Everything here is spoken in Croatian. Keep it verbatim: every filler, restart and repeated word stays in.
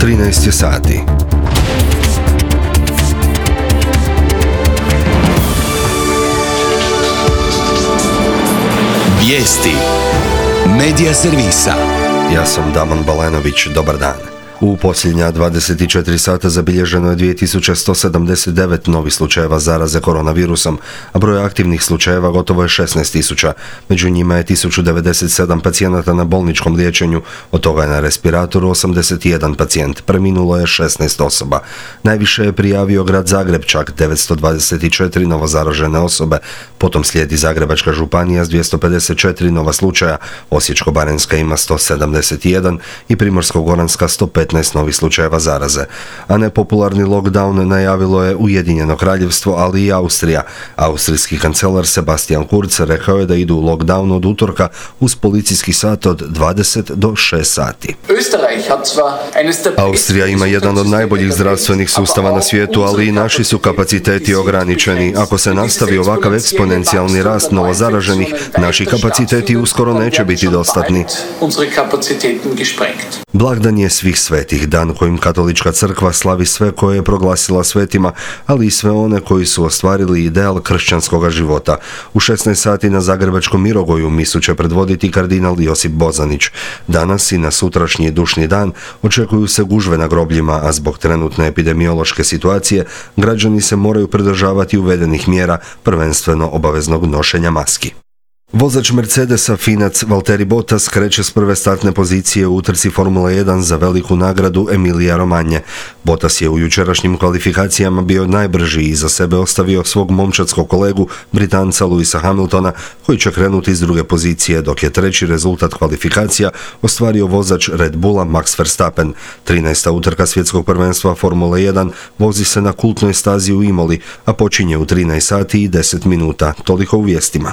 trinaest je sati. Vijesti Medija servisa. Ja sam Damon Balenović, dobar dan. U posljednja dvadeset četiri sata zabilježeno je dvije tisuće sto sedamdeset devet novih slučajeva zaraze koronavirusom, a broj aktivnih slučajeva gotovo je šesnaest tisuća. Među njima je tisuću devedeset sedam pacijenata na bolničkom liječenju, od toga je na respiratoru osamdeset jedan pacijent, preminulo je šesnaest osoba. Najviše je prijavio grad Zagreb, čak devetsto dvadeset četiri novozaražene osobe, potom slijedi Zagrebačka županija s dvjesto pedeset četiri nova slučaja, Osječko-baranjska ima sto sedamdeset jedan i Primorsko-goranska sto petnaest novih slučajeva zaraze. A nepopularni lockdown najavilo je Ujedinjeno Kraljevstvo, ali i Austrija. Austrijski kancelar Sebastian Kurz rekao je da idu u lockdown od utorka uz policijski sat od dvadeset do šest sati. Austrija ima jedan od najboljih zdravstvenih sustava na svijetu, ali i naši su kapaciteti ograničeni. Ako se nastavi ovakav eksponencijalni rast novozaraženih, naši kapaciteti uskoro neće biti dostatni. Blagdan je svih svetih, dan kojim katolička crkva slavi sve koje je proglasila svetima, ali i sve one koji su ostvarili ideal kršćanskog života. U šesnaest sati na Zagrebačkom Mirogoju misu će predvoditi kardinal Josip Bozanić. Danas i na sutrašnji dušni dan očekuju se gužve na grobljima, a zbog trenutne epidemiološke situacije građani se moraju pridržavati uvedenih mjera, prvenstveno obaveznog nošenja maski. Vozač Mercedesa Finac Valtteri Bottas kreće s prve startne pozicije u utrci Formule jedan za veliku nagradu Emilia Romagna. Bottas je u jučerašnjim kvalifikacijama bio najbrži i za sebe ostavio svog momčadskog kolegu Britanca Lewisa Hamiltona, koji će krenuti iz druge pozicije, dok je treći rezultat kvalifikacija ostvario vozač Red Bulla Max Verstappen. trinaesta utrka svjetskog prvenstva Formule jedan vozi se na kultnoj stazi u Imoli, a počinje u trinaest sati i deset minuta. Toliko u vijestima.